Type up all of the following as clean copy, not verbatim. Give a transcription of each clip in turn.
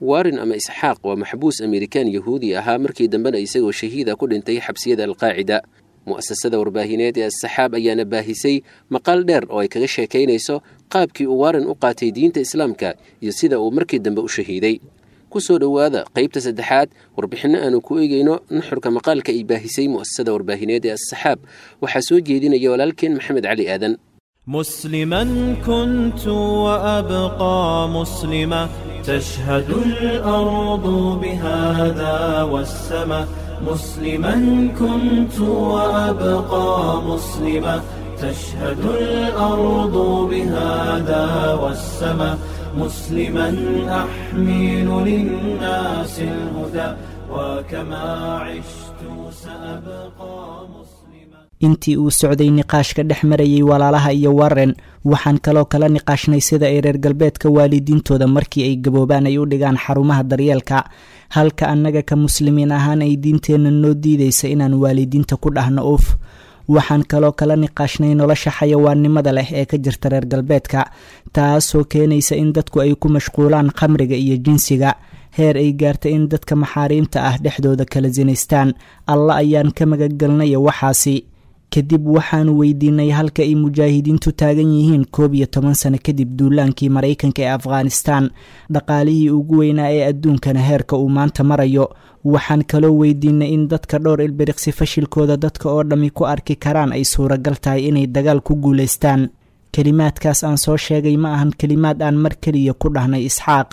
Warren ama Isxaaq waa maxbuus Amerikaan Yahuudi ahaa, markii dambena isagoo shahiida ku dhintay xabsiyada Alqaacida. Mu'asasada warbaahineed ee Assaxaab ayaana baahisay maqaal dheer oo ay kaga sheekaynayso qaabkii uu Warren u qaatay diinta Islaamka iyo sida uu markii dambe u shahiiday. Ku soo dhowaada qaybta saddexaad warbixinno aanu ku eegayno nuxurka maqaalka ay baahisay mu'asasada warbaahineed ee Assaxaab. Waxaa soo jeedinaya walaalkeen Maxamed Cali Aadan. مسلما كنت وأبقى مسلما، تشهد الأرض بهذا والسماء. مسلما كنت وأبقى مسلما، تشهد الأرض بهذا والسماء. مسلما أحمل للناس الهدى، وكما عشت سأبقى مسلما. Intii uu socday niqaashka dhex marayay walaalaha iyo Warren, waxaan kaloo kala niqaashnay sida ay reer galbeedka waalidiintooda markii ay gaboobaan ay u dhigaan xarumaha daryeelka, halka annaga ka muslimiin ahaan ay diinteenna noo diidaysa inaan waalidiinta ku dhahno uf. Waxaan kaloo kala niqaashnay nolosha xayawaannimada leh ee ka jirta reer galbeedka, taasoo keenaysa in dadku ay ku mashquulaan khamriga iyo jinsiga, heer ay gaarta in dadka maxaariimta ah dhexdooda kala sinaystaan. Alla ayaan ka magagelnaya waxaasi. Kadib waxaanu weydiinay halka ay mujaahidiintu taagan yihiin 11 sano kadib duulaankii Maraykanka ee Afghanistan, dhaqaalihii ugu weynaa ee adduunkana heerka uu maanta marayo. Waxaan kaloo weydiinay in dadka dhowr ilbiriqsi fashilkooda dadka oo dhammi ku arki karaan ay suuragal tahay inay dagaal ku guulaystaan. Kelimaadkaas aan soo sheegay ma ahan kelimaad aan mar keliya ku dhahnay Isxaaq,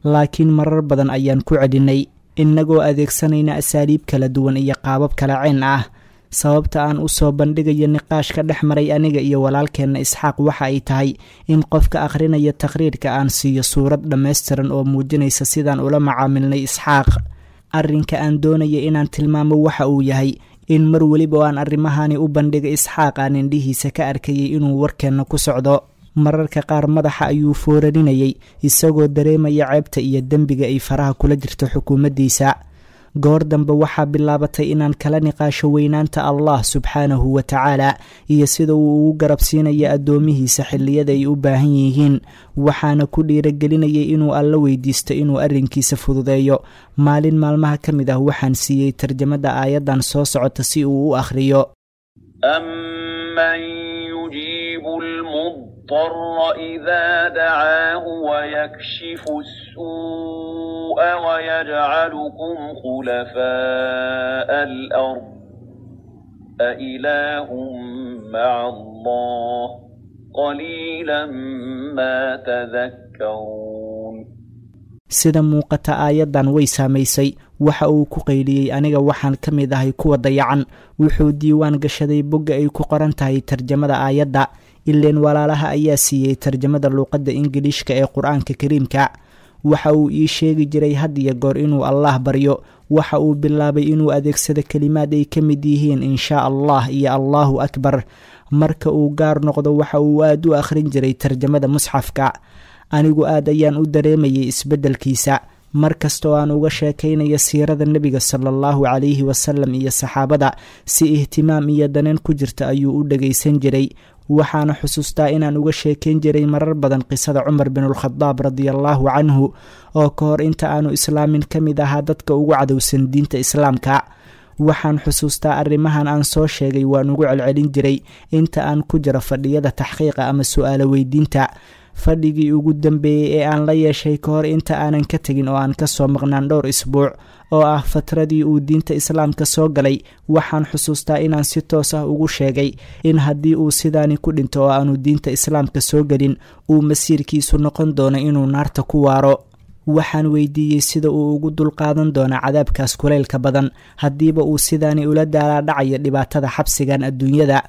laakiin marar badan ayaan ku celinay, innagoo adeegsanayna asaaliib kala duwan iyo qaabab kala ceen ah. Sababta aan u soo bandhigayo niqaashka dhex maray aniga iyo walaalkeenna Isxaaq waxa ay tahay in qofka akhrinaya taqhriirka aan siiyo suurad dhammaystiran oo muujinaysa sidaan ula macaamilnay Isxaaq. Arrinka aan doonaya inaan tilmaamo waxa uu yahay in mar weliba oo aan arrimahani u bandhigay Isxaaq, aan indhihiisa ka arkayay inuu warkeenna ku socdo. Mararka qaar madaxa ayuu foorarinayay, isagoo dareemaya ceebta iyo dembiga ay faraha kula jirto xukuumaddiisa. Goor dambe waxaa bilaabatay inaan kala niqaasho weynaanta Allah subxaanahu wa tacaala iyo sida uu ugu garabsiinayo addoomihiisa xilliyada ay u baahan yihiin, waxaana ku dhiiragelinayay inuu Alla weydiisto inuu arrinkiisa fududeeyo. Maalin maalmaha ka mid ah waxaan siiyey tarjamada aayaddan soo socota si uu u akhriyo. أمن يجيب المضطر إذا دعاه ويكشف السوء ويجعلكم خلفاء الأرض، أإله مع الله؟ قليلا ما تذكرون. Sida muuqata aayaddan way saamaysay. Waxa uu ku qayliyey, "Aniga waxaan ka mid ahay kuwa dayacan." Wuxuu diiwaan gashaday bogga ay ku qoran tahay tarjamada aayadda, ileen walaalaha ayaa siiyey tarjamada luuqadda Ingiliishka ee Qur-aanka Kariimka. Waxa uu ii sheegi jiray had iyo goor inuu Allah baryo. Waxa uu bilaabay inuu adeegsado kelimaad ay ka mid yihiin "inshaa Allah" iyo "Allahu akbar". Marka uu gaar noqdo, waxa uu aad u akhrin jiray tarjamada musxafka. Anigu aad ayaan u dareemayay isbeddelkiisa. Mar kasta oo aan uga sheekaynayo siirada Nebiga sala Allahu calayhi wasalam iyo saxaabada, si ihtimaam iyo daneen ku jirta ayuu u dhagaysan jiray. Waxaana xusuustaa inaan uga sheekayn jiray marar badan qisada Cumar binulkhadaab radiallahu canhu, oo ka hor inta aanu islaamin ka mid ahaa dadka ugu cadowsan diinta Islaamka. Waxaan xusuustaa arrimahan aan soo sheegay waan ugu celcelin jiray inta aan ku jiro fadhiyada taxqiiqa ama su-aalo weydiinta. Fadhigii ugu dambeeyey ee aan la yeeshay ka hor inta aanan ka tegin oo aan kasoo maqnaan dhowr isbuuc, oo ah fatradii uu diinta Islaamka soo galay, waxaan xusuustaa inaan si toos ah ugu sheegay in haddii uu sidaani ku dhinto oo aanu diinta Islaamka soo gelin, uu masiirkiisu noqon doono inuu naarta ku waaro. Waxaan weydiiyey sida uu ugu dulqaadan doono cadaabkaas kulaylka badan, haddiiba uu sidaani ula daalaadhacayo dhibaatada xabsigan adduunyada.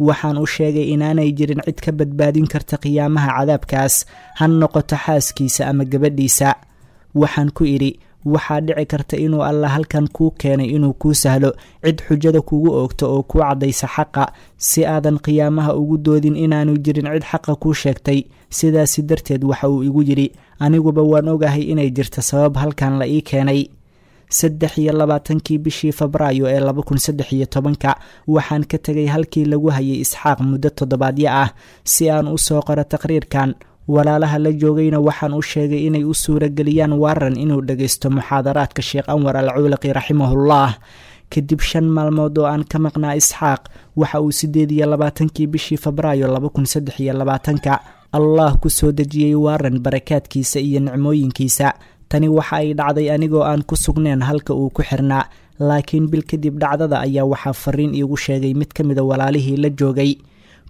Waxaan u sheegay inaanay jirin cid ka badbaadin karta qiyaamaha cadaabkaas, ha noqoto xaaskiisa ama gabadhiisa. Waxaan ku idhi, "Waxaa dhici karta inuu Alla halkan kuu keenay inuu kuu sahlo cid xujada kugu oogto oo kuu caddaysa xaqa, si aadan qiyaamaha ugu doodin inaanu jirin cid xaqa kuu sheegtay." Sidaasi darteed waxa uu igu yidhi, "Aniguba waan ogahay inay jirto sabab halkan la ii keenay." 23-kii bishii Febraayo ee 2013-ka waxaan ka tegay halkii lagu hayay Isxaaq muddo toddobaadyo ah si aan u soo qoro taqriirkan. Walaalaha la joogayna waxaan u sheegay inay u suurageliyaan Warren inuu dhagaysto muxaadaraadka Sheekh Anwar al Cuulaqi raximahullah. Kadib 5 maalmood oo aan ka maqnaa Isxaaq, waxa uu 28-kii bishii Febraayo 2023 Allah ku soo dejiyey Warren barakaadkiisa iyo nicmooyinkiisa. Tani waxa ay dhacday anigoo aan ku sugnayn halka uu ku xirnaa, laakiin bil kadib dhacdada ayaa waxaa fariin iigu sheegay mid ka mida walaalihii la joogay.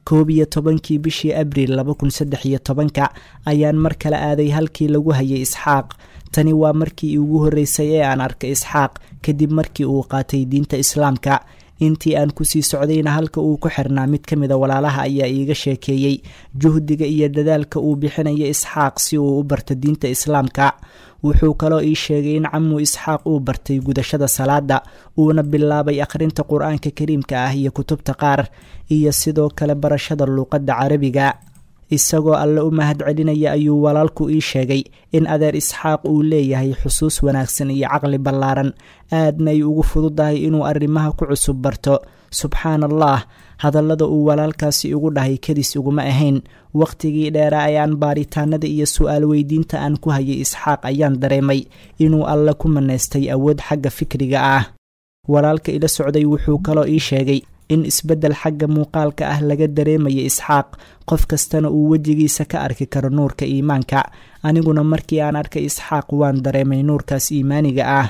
11-kii bishii Abriil 2013 ayaan mar kale aaday halkii lagu hayay Isxaaq. Tani waa markii ugu horreysay ee aan arkay Isxaaq kadib markii uu qaatay diinta Islaamka. Intii aan kusii socdayna halka uu ku xirnaa mid ka mida walaalaha ayaa iiga sheekeeyey juhdiga iyo dadaalka uu bixinaya Isxaaq si uu u barto diinta Islaamka. Wuxuu kaloo ii sheegay in camu Isxaaq uu bartay gudashada salaada, uuna bilaabay akhrinta Qur-aanka Kariimka ah iyo kutubta qaar, iyo sidoo kale barashada luuqadda Carabiga. Isagoo Alle u mahad celinaya ayuu walaalku ii sheegay in adeer Isxaaq uu leeyahay xusuus wanaagsan iyo caqli ballaaran, aadna ay ugu fududahay inuu arrimaha ku cusub barto. Subxaan Allah, hadallada uu walaalkaasi igu dhahay kadis iguma ahayn. Waqtigii dheeraa ee aan baaritaanada iyo su-aal weydiinta aan ku hayay Isxaaq ayaan dareemay inuu Alle ku manaystay awood xagga fikriga ah. Walaalka ila socday wuxuu kaloo ii sheegay in isbeddel xagga muuqaalka ah laga dareemaya Isxaaq, qof kastana uu wejigiisa ka arki karo nuurka iimaanka. Aniguna markii aan arkay Isxaaq waan dareemay nuurkaas iimaaniga ah.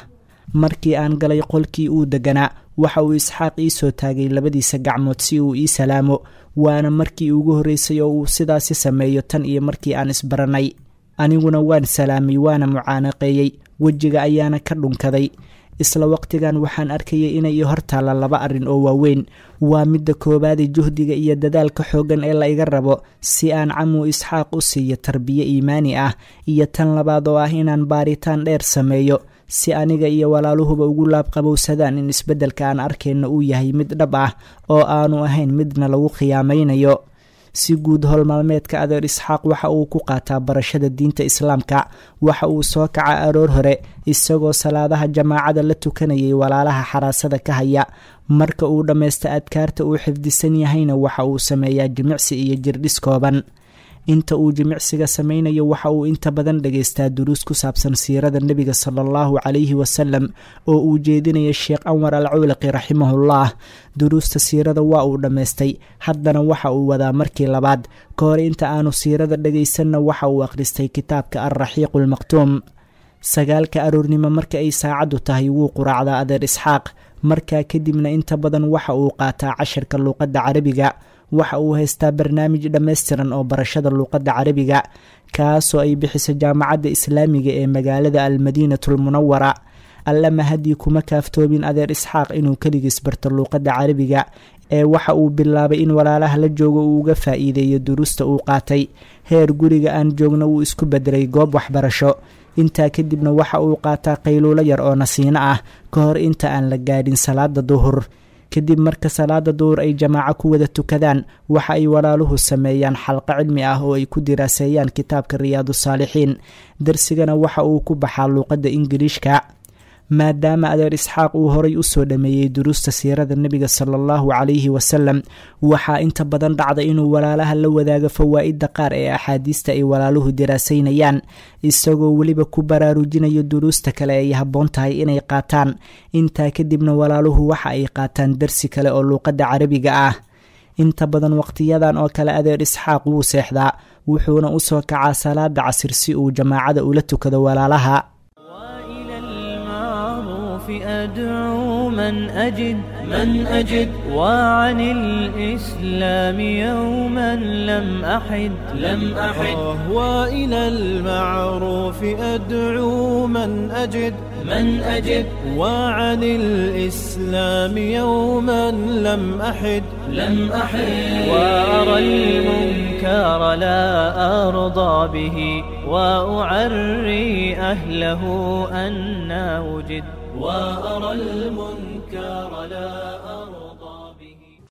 Markii aan galay qolkii uu deganaa, waxa uu Isxaaq ii soo taagay labadiisa gacmood si uu ii salaamo, waana markii ugu horreysay oo uu sidaasi sameeyo tan iyo markii aan isbaranay. Aniguna waan salaamay, waana mucaanaqeeyey, wejiga ayaana ka dhunkaday. Isla waqtigan waxaan arkayay inay i hortaalla laba arrin oo waaweyn. Waa midda koowaadi juhdiga iyo dadaalka xooggan ee la iga rabo si aan camu Isxaaq u siiyo tarbiye iimaani ah, iyo tan labaad oo ah inaan baaritaan dheer sameeyo si aniga iyo walaaluhuba ugu laabqabowsadaan in isbeddelka aan arkayno uu yahay mid dhab ah oo aanu ahayn midna lagu khiyaamaynayo. Si guud howlmaalmeedka adeer Isxaaq waxa uu ku qaataa barashada diinta Islaamka. Waxa uu soo kaca aroor hore isagoo salaadaha jamaacada la tukanayay walaalaha xaraasada ka haya. Marka uu dhammaysta adkaarta uu xifdisan yahayna waxa uu sameeyaa jimicsi iyo jirdhis kooban. Inta uu jimicsiga sameynayo waxa uu inta badan dhagaystaa duruus ku saabsan siirada nebiga sala allahu calayhi wasalam oo uu jeedinaya Sheekh Anwar al Cuulaqi raximahullah. Duruusta siirada waa uu dhammaystay, haddana waxa uu wadaa markii labaad. Ka hor inta aanu siirada dhagaysanna waxa uu akhristay kitaabka Alraxiiqu almaqtuum. 9-ka aroornimo marka ay saacaddu tahay wuu quraacdaa adeer Isxaaq. Markaa kadibna inta badan waxa uu qaataa casharka luuqadda Carabiga. Waxa uu haystaa barnaamij dhammaystiran oo barashada luuqadda Carabiga, kaasoo ay bixiso Jaamacadda Islaamiga ee magaalada Almadiinatu Almunawara. Alle mahadii kuma kaaftoobin adeer Isxaaq inuu keligiis barto luuqadda Carabiga, ee waxa uu bilaabay in walaalaha la joogo uu uga faa'iideeyo duruusta uu qaatay. Heer guriga aan joogno wuu isku bedelay goob waxbarasho. Intaa kadibna waxa uu qaataa qayluulo yar oo nasiino ah ka hor inta aan la gaadhin salaada duhur. Kadib marka salaada duhur ay jamaaco ku wada tukadaan, waxa ay walaaluhu sameeyaan xalqo cilmi ah oo ay ku diraaseeyaan kitaabka Riyaadu Saalixiin. Darsigana waxa uu ku baxaa luuqadda Ingiliishka. Maadaama adeer Isxaaq uu horay u soo dhameeyey duruusta siirada nebiga sala allahu calayhi wasalam, waxaa inta badan dhacda inuu walaalaha la wadaago fawaa'idda qaar ee axaadiista ay walaaluhu diraasaynayaan, isagoo weliba ku baraarujinayo duruusta kale ay habboon tahay inay qaataan. Intaa kadibna walaaluhu waxa ay qaataan darsi kale oo luuqadda Carabiga ah. Inta badan waqtiyadan oo kale adeer Isxaaq wuu seexdaa, wuxuuna u soo kacaa salaada casir si uu jamaacada ula tukado walaalaha. أدعو من أجد من أجد وعن الإسلام يوما لم أحد لم أحد وإلى المعروف أدعو من أجد من أجد وعن الإسلام يوما لم أحد لم أحد وأرى المنكر لا أرضى به وأعري أهله أن وجد وأرى المنكر لا أرضى.